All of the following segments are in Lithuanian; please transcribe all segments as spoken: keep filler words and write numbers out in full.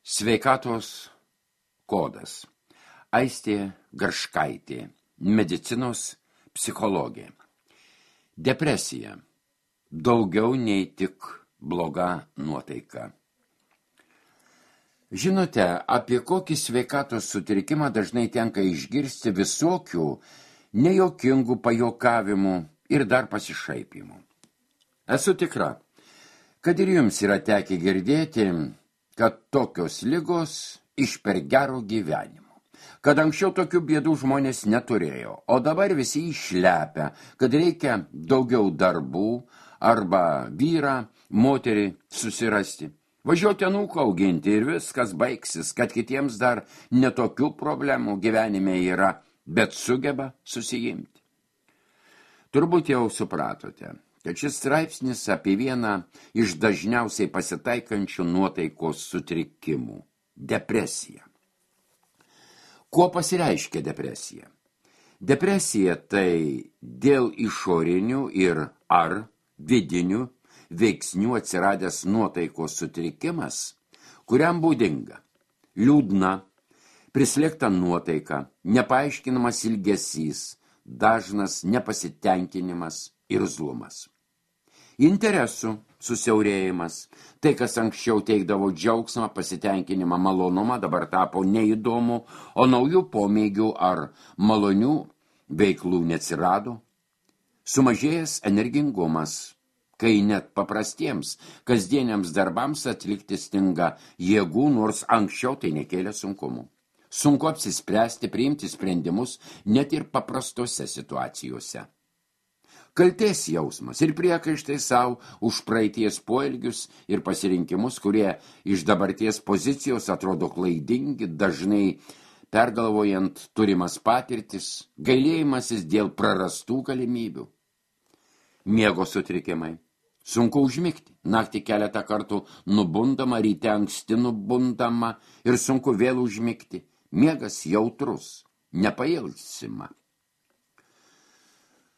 Sveikatos kodas. Aistė Garškaitė, medicinos psichologė. Depresija. Daugiau nei tik bloga nuotaika. Žinote, apie kokį sveikatos sutrikimą dažnai tenka išgirsti visokių nejokingų pajokavimų ir dar pasišaipimų. Esu tikra, kad ir jums yra tekę girdėti, kad tokios ligos iš per gero gyvenimo, kad anksčiau tokių bėdų žmonės neturėjo, o dabar visi išlepia, kad reikia daugiau darbų arba vyrą, moterį susirasti, važiuoti anūką auginti ir viskas baigsis, kad kitiems dar netokių problemų gyvenime yra, bet sugeba susijimti. Turbūt jau supratote, kad šis straipsnis apie vieną iš dažniausiai pasitaikančių nuotaikos sutrikimų – depresiją. Kuo pasireiškia depresija? Depresija tai dėl išorinių ir ar vidinių veiksnių atsiradęs nuotaikos sutrikimas, kuriam būdinga liūdna, prislėgta nuotaika, nepaaiškinamas ilgesys, dažnas nepasitenkinimas ir zlumas. Interesų susiaurėjimas, tai kas anksčiau teikdavo džiaugsmą, pasitenkinimą, malonumą, dabar tapo neįdomu, o naujų pomėgių ar malonių veiklų neatsirado. Sumažėjęs energingumas, kai net paprastiems, kasdieniams darbams atlikti stinga jėgų, nors anksčiau tai nekėlė sunkumų. Sunku apsispręsti, priimti sprendimus net ir paprastose situacijose. Kaltės jausmas ir priekaištai savo už praeities poelgius ir pasirinkimus, kurie iš dabarties pozicijos atrodo klaidingi, dažnai pergalvojant turimas patirtis, gailėjimasis dėl prarastų galimybių. Miego sutrikimai. Sunku užmigti. Naktį keletą kartų nubundama, ryte anksti nubundama ir sunku vėl užmigti. Miegas jautrus, nepailsima.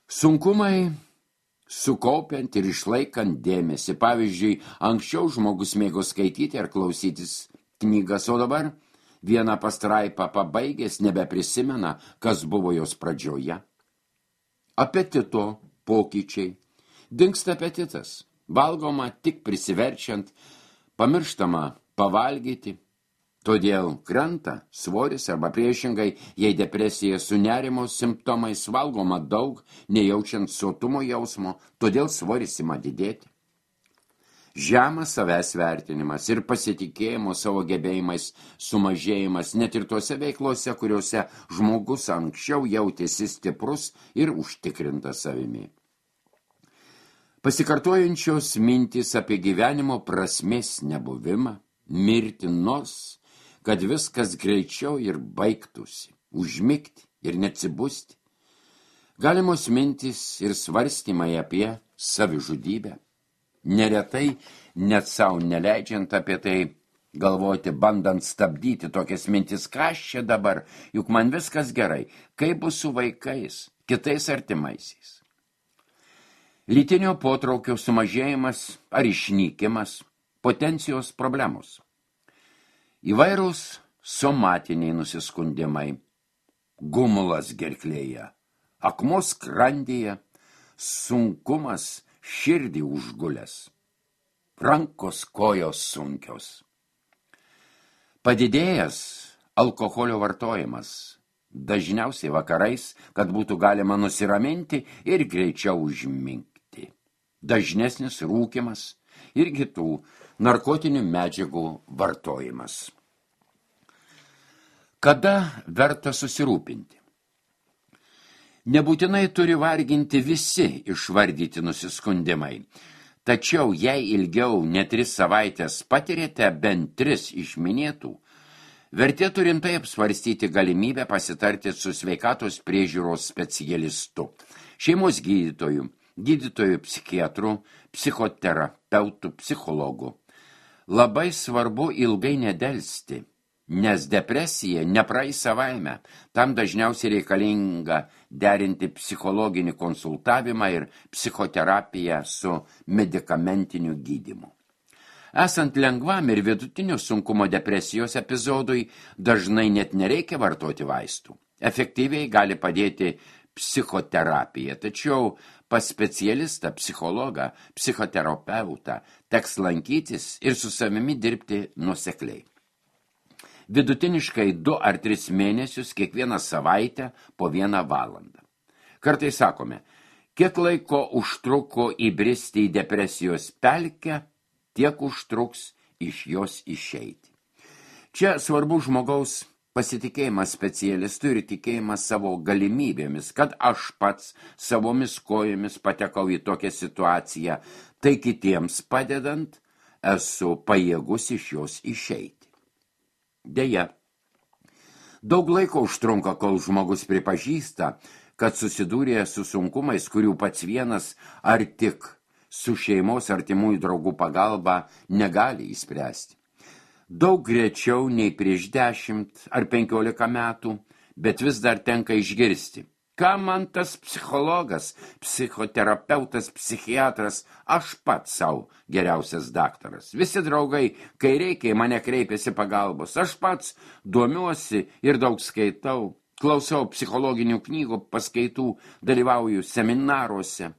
Sunkumai sukaupiant ir išlaikant dėmesį. Pavyzdžiui, anksčiau žmogus mėgo skaityti ar klausytis knygas, o dabar vieną pastraipą pabaigęs nebeprisimena, kas buvo jos pradžioje. Apetito pokyčiai. Dingsta apetitas. Valgoma tik prisiverčiant, pamirštama pavalgyti. Todėl krenta svoris arba priešingai, jei depresija su nerimo simptomais, valgoma daug, nejaučiant sotumo jausmo, todėl svoris ima didėti. Žemas savęs vertinimas ir pasitikėjimo savo gebėjimais sumažėjimas net ir tose veiklose, kuriuose žmogus anksčiau jautėsi stiprus ir užtikrintas savimi. Pasikartojančios mintys apie gyvenimo prasmės nebuvimą, mirti nors, kad viskas greičiau ir baigtųsi, užmigti ir neatsibusti. Galimos mintys ir svarstymai apie savižudybę. Neretai, net savo neleidžiant apie tai galvoti, bandant stabdyti tokias mintis, ką aš čia dabar, juk man viskas gerai, kaip bus su vaikais, kitais artimaisiais. Lytinio potraukio sumažėjimas ar išnykimas, potencijos problemos. Įvairūs somatiniai nusiskundimai, gumulas gerklėje, akmuo skrandyje, sunkumas širdį užgulęs, rankos kojos sunkios. Padidėjęs alkoholio vartojimas, dažniausiai vakarais, kad būtų galima nusiraminti ir greičiau užmigti. Dažnesnis rūkymas ir kitų narkotinių medžiagų vartojimas. Kada verta susirūpinti? Nebūtinai turi varginti visi išvardyti nusiskundimai, tačiau jei ilgiau ne tris savaitės patirėte bent tris iš minėtų, vertėtų rimtai apsvarstyti galimybę pasitarti su sveikatos priežiūros specialistu, šeimos gydytoju, gydytojų psichiatrų, psichoterapeutų, psichologų. Labai svarbu ilgai nedelsti, nes depresija nepraeis savaime. Tam dažniausiai reikalinga derinti psichologinį konsultavimą ir psichoterapiją su medikamentiniu gydymu. Esant lengvam ir vidutinio sunkumo depresijos epizodui, dažnai net nereikia vartoti vaistų. Efektyviai gali padėti psichoterapija, tačiau pas specialistą, psichologą, psichoterapeutą teks lankytis ir su savimi dirbti nuosekliai. Vidutiniškai du ar tris mėnesius kiekvieną savaitę po vieną valandą. Kartais sakome, kiek laiko užtruko įbristi į depresijos pelkę, tiek užtruks iš jos išeiti. Čia svarbu žmogaus pasitikėjimas specialistu ir tikėjimas savo galimybėmis, kad aš pats savomis kojomis patekau į tokią situaciją, tai kitiems padedant esu pajėgus iš jos išeiti. Deja, daug laiko užtrunka, kol žmogus pripažįsta, kad susidūrė su sunkumais, kurių pats vienas ar tik su šeimos artimųjų draugų pagalba negali įspręsti. Daug greičiau nei prieš dešimt ar penkiolika metų, bet vis dar tenka išgirsti. Ką man tas psichologas, psichoterapeutas, psichiatras, aš pats savo geriausias daktaras. Visi draugai, kai reikia, mane kreipiasi pagalbos. Aš pats domiuosi ir daug skaitau, klausau psichologinių knygų, paskaitų, dalyvauju seminaruose.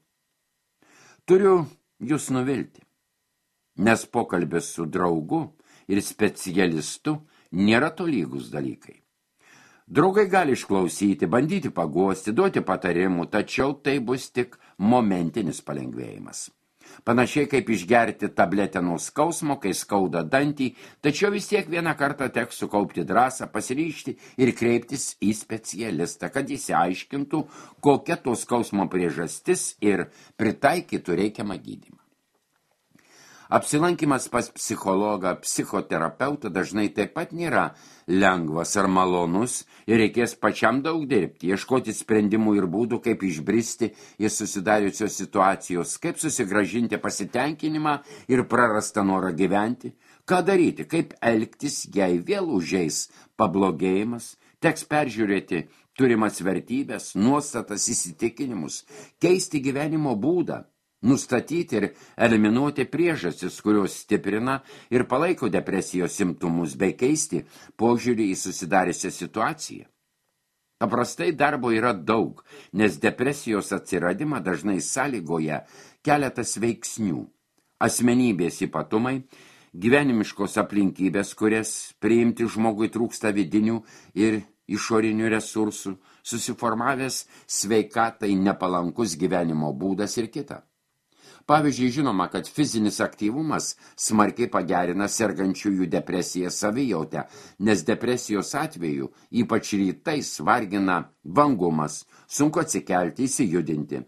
Turiu jūs nuvilti, nes pokalbis su draugu ir specialistu nėra tolygus dalykai. Draugai gali išklausyti, bandyti paguosti, duoti patarimų, tačiau tai bus tik momentinis palengvėjimas. Panašiai kaip išgerti tabletę nuo skausmo, kai skauda dantį, tačiau vis tiek vieną kartą teks sukaupti drąsą, pasiryžti ir kreiptis į specialistą, kad išsiaiškintų, kokia to skausmo priežastis ir pritaikytų reikiamą gydymą. Apsilankimas pas psichologą, psichoterapeutą dažnai taip pat nėra lengvas ar malonus ir reikės pačiam daug dirbti, ieškoti sprendimų ir būdų, kaip išbristi iš susidariusios situacijos, kaip susigrąžinti pasitenkinimą ir prarastą norą gyventi, ką daryti, kaip elgtis, jei vėl užeis pablogėjimas, teks peržiūrėti turimas vertybės, nuostatas, įsitikinimus, keisti gyvenimo būdą, nustatyti ir eliminuoti priežastis, kurios stiprina ir palaiko depresijos simptomus, bei keisti požiūrį į susidariusią situaciją. Paprastai darbo yra daug, nes depresijos atsiradimą dažnai sąlygoja keletas veiksnių. Asmenybės ypatumai, gyvenimiškos aplinkybės, kurias priimti žmogui trūksta vidinių ir išorinių resursų, susiformavęs sveikatai nepalankus gyvenimo būdas ir kita. Pavyzdžiui, žinoma, kad fizinis aktyvumas smarkiai pagerina sergančiųjų depresiją savijautę, nes depresijos atveju, ypač rytais, vargina vangumas, sunku atsikelti, įsijudinti.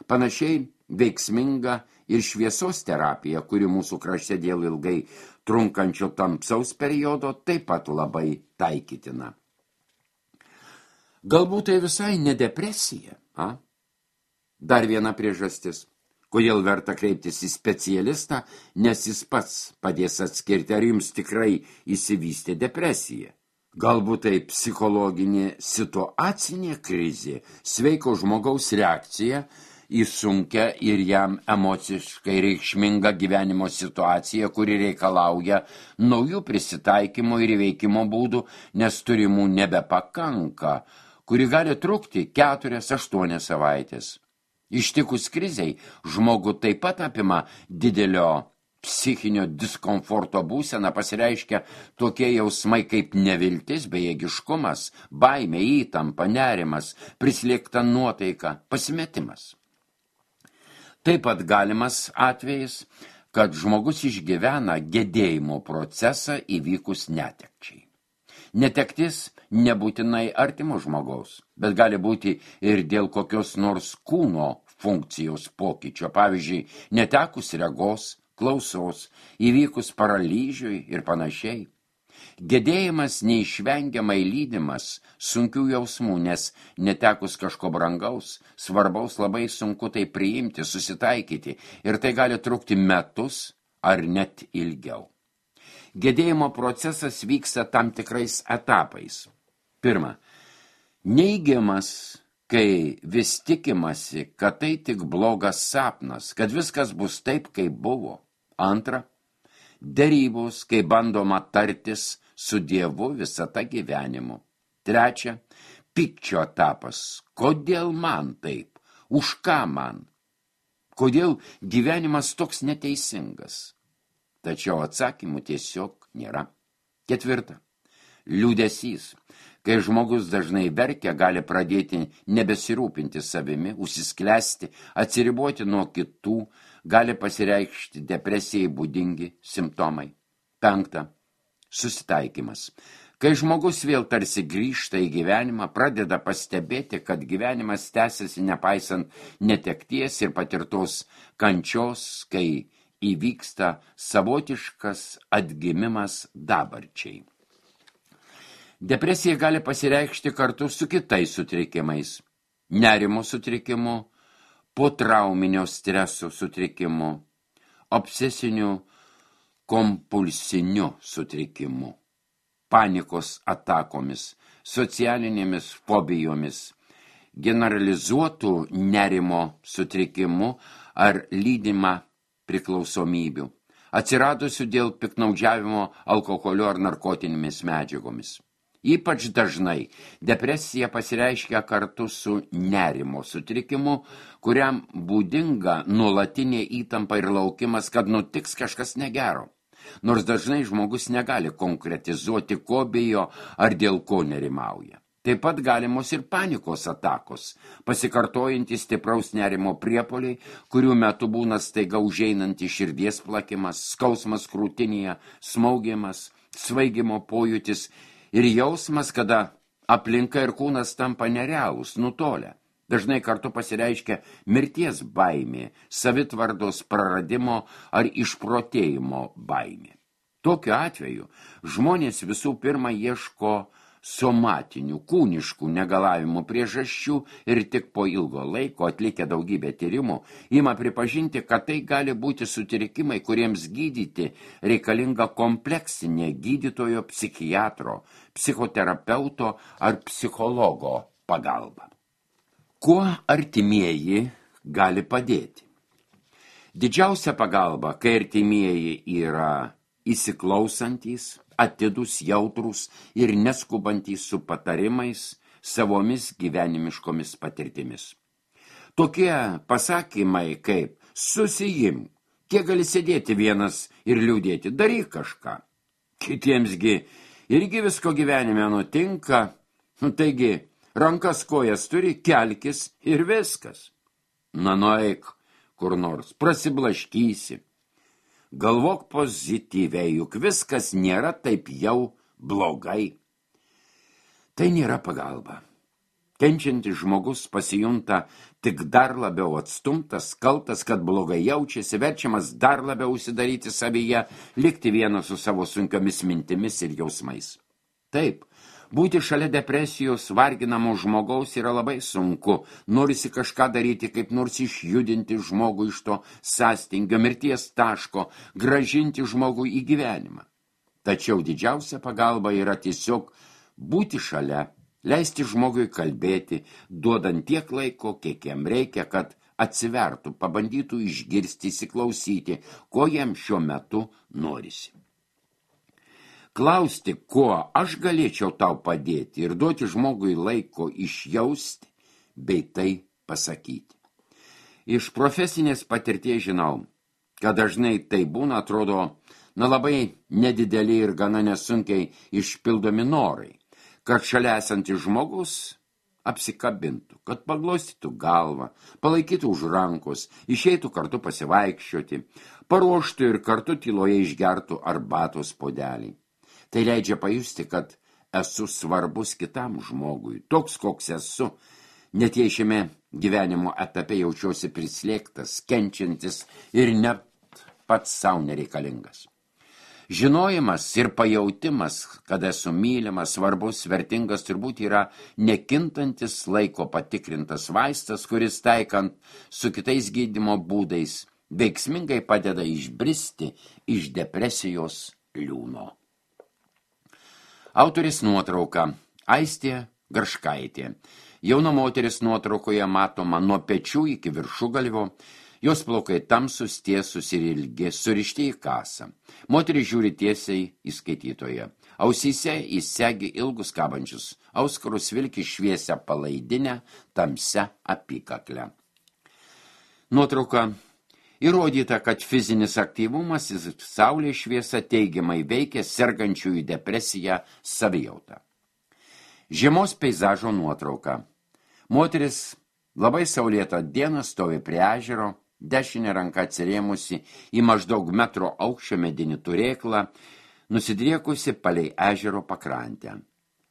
Panašiai veiksminga ir šviesos terapija, kuri mūsų krašte dėl ilgai trunkančio tamsaus periodo taip pat labai taikytina. Galbūt tai visai ne depresija, a? Dar viena priežastis. Kodėl verta kreiptis į specialistą, nes jis pats padės atskirti, ar jums tikrai įsivystė depresija. Galbūt tai psichologinė situacinė krizė, sveiko žmogaus reakcija į sunkią ir jam emociškai reikšmingą gyvenimo situaciją, kuri reikalauja naujų prisitaikymo ir įveikimo būdų, nes turimų nebepakanka, kuri gali trukti keturias, aštuonias savaitės. Ištikus krizei, žmogų taip pat apima didelio psichinio diskomforto būsena, pasireiškia tokie jausmai kaip neviltis, bejėgiškumas, baimė, įtampa, nerimas, prislėgta nuotaika, pasimetimas. Taip pat galimas atvejis, kad žmogus išgyvena gedėjimo procesą įvykus netekčiai. Netektis nebūtinai artimo žmogaus, bet gali būti ir dėl kokios nors kūno funkcijos pokyčio, pavyzdžiui, netekus regos, klausos, įvykus paralyžiui ir panašiai. Gedėjimas neišvengiamai lydimas sunkių jausmų, nes netekus kažko brangaus, svarbaus labai sunku tai priimti, susitaikyti ir tai gali trukti metus ar net ilgiau. Gedėjimo procesas vyksta tam tikrais etapais. Pirma, neigiamas, kai vis tikimasi, kad tai tik blogas sapnas, kad viskas bus taip, kaip buvo. Antra, derybos, kai bandoma tartis su Dievu visata gyvenimu. Trečia, pykčio etapas. Kodėl man taip? Už ką man? Kodėl gyvenimas toks neteisingas? Tačiau atsakymų tiesiog nėra. Ketvirta, liūdesys. Kai žmogus dažnai verkia, gali pradėti nebesirūpinti savimi, užsisklęsti, atsiriboti nuo kitų, gali pasireikšti depresijai būdingi simptomai. Penkta, susitaikymas. Kai žmogus vėl tarsi grįžta į gyvenimą, pradeda pastebėti, kad gyvenimas tęsiasi nepaisant netekties ir patirtos kančios, kai įvyksta savotiškas atgimimas dabarčiai. Depresija gali pasireikšti kartu su kitais sutrikimais. Nerimo sutrikimu, potrauminio streso sutrikimu, obsesiniu kompulsiniu sutrikimu, panikos atakomis, socialinėmis fobijomis, generalizuotų nerimo sutrikimu ar lydimą priklausomybių, atsiradusių dėl piktnaudžiavimo alkoholiu ar narkotinėmis medžiagomis. Ypač dažnai depresija pasireiškia kartu su nerimo sutrikimu, kuriam būdinga nuolatinė įtampa ir laukimas, kad nutiks kažkas negero. Nors dažnai žmogus negali konkretizuoti, ko bijo ar dėl ko nerimauja. Taip pat galimos ir panikos atakos, pasikartojantys stipraus nerimo priepuoliai, kurių metu būna staiga užeinantis širdies plakimas, skausmas krūtinėje, smaugimas, svaigimo pojūtis ir jausmas, kada aplinka ir kūnas tampa nerealūs, nutolę. Dažnai kartu pasireiškia mirties baimė, savitvardos praradimo ar išprotėjimo baimė. Tokiu atveju žmonės visų pirma ieško somatinių, kūniškų negalavimų priežasčių ir tik po ilgo laiko atlikę daugybę tyrimų ima pripažinti, kad tai gali būti sutrikimai, kuriems gydyti reikalinga kompleksinė gydytojo, psichiatro, psichoterapeuto ar psichologo pagalba. Kuo artimieji gali padėti? Didžiausia pagalba, kai artimieji yra įsiklausantys, atidus, jautrus ir neskubantys su patarimais, savomis gyvenimiškomis patirtimis. Tokie pasakymai kaip susijimk, kiek gali sėdėti vienas ir liūdėti, daryk kažką. Kitiemsgi irgi visko gyvenime nutinka, nu, taigi rankas kojas turi, kelkis ir viskas. Na, nueik kur nors, prasiblaškysi. Galvok pozityviai, juk viskas nėra taip jau blogai. Tai nėra pagalba. Kenčiantis žmogus pasijunta tik dar labiau atstumtas, kaltas, kad blogai jaučiasi, verčiamas dar labiau užsidaryti savyje, likti vienas su savo sunkiomis mintimis ir jausmais. Taip, būti šalia depresijos varginamo žmogaus yra labai sunku. Norisi kažką daryti, kaip nors išjudinti žmogų iš to sąstingio, mirties taško, grąžinti žmogų į gyvenimą. Tačiau didžiausia pagalba yra tiesiog būti šalia, leisti žmogui kalbėti, duodant tiek laiko, kiek jam reikia, kad atsivertų, pabandytų išgirsti, įsiklausyti, ko jam šiuo metu norisi. Klausti, kuo aš galėčiau tau padėti ir duoti žmogui laiko išjausti, bei tai pasakyti. Iš profesinės patirties žinau, kad dažnai tai būna, atrodo, na labai nedideli ir gana nesunkiai išpildomi norai, kad šalia esantis žmogus apsikabintų, kad paglostytų galvą, palaikytų už rankos, išeitų kartu pasivaikščioti, paruoštų ir kartu tyloje išgertų arbatos puodelį. Tai leidžia pajusti, kad esu svarbus kitam žmogui, toks koks esu, net jei šiame gyvenimo etape jaučiuosi prislėgtas, kenčiantis ir net pats savo nereikalingas. Žinojimas ir pajautimas, kad esu mylimas, svarbus, vertingas, turbūt yra nekintantis laiko patikrintas vaistas, kuris taikant su kitais gydymo būdais veiksmingai padeda išbristi iš depresijos liūno. Autorės nuotrauka Aistė Garškaitė. Jauna moteris nuotraukoje matoma nuo pečių iki viršugalvio. Jos plaukai tamsus, tiesus ir ilgi, surišti į kasą. Moteris žiūri tiesiai į skaitytoją. Ausyse įsegi ilgus kabančius auskarus, vilki šviesią palaidinę, tamsią apykaklę. Nuotrauka. Įrodyta, kad fizinis aktyvumas ir saulės šviesa teigiamai veikia sergančiųjų depresiją savijautą. Žiemos peizažo nuotrauka. Moteris labai saulėtą dieną stovi prie ežero, dešinė ranka atsirėmusi į maždaug metro aukščio medinį turėklą, nusidriekusi palei ežero pakrantę.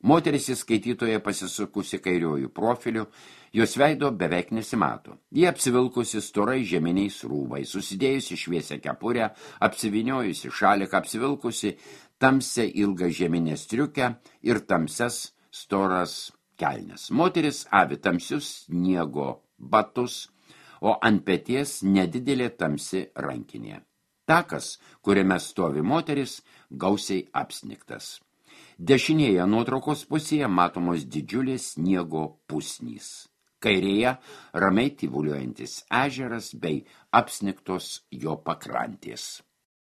Moteris į skaitytoje pasisukusi kairiojų profiliu, jos veido beveik nesimato. Ji apsivilkusi storai žeminiais rūbai, susidėjusi šviesią kepurę, apsiviniojusi šaliką, apsivilkusi tamsią ilgą žeminę striukę ir tamsias storas kelnes. Moteris avi tamsius sniego batus, o ant peties nedidelė tamsi rankinė. Takas, kuriame stovi moteris, gausiai apsnigtas. Dešinėje nuotraukos pusėje matomos didžiulės sniego pusnys. Kairėje ramiai tyvuliuojantis ežeras bei apsnigtos jo pakrantės.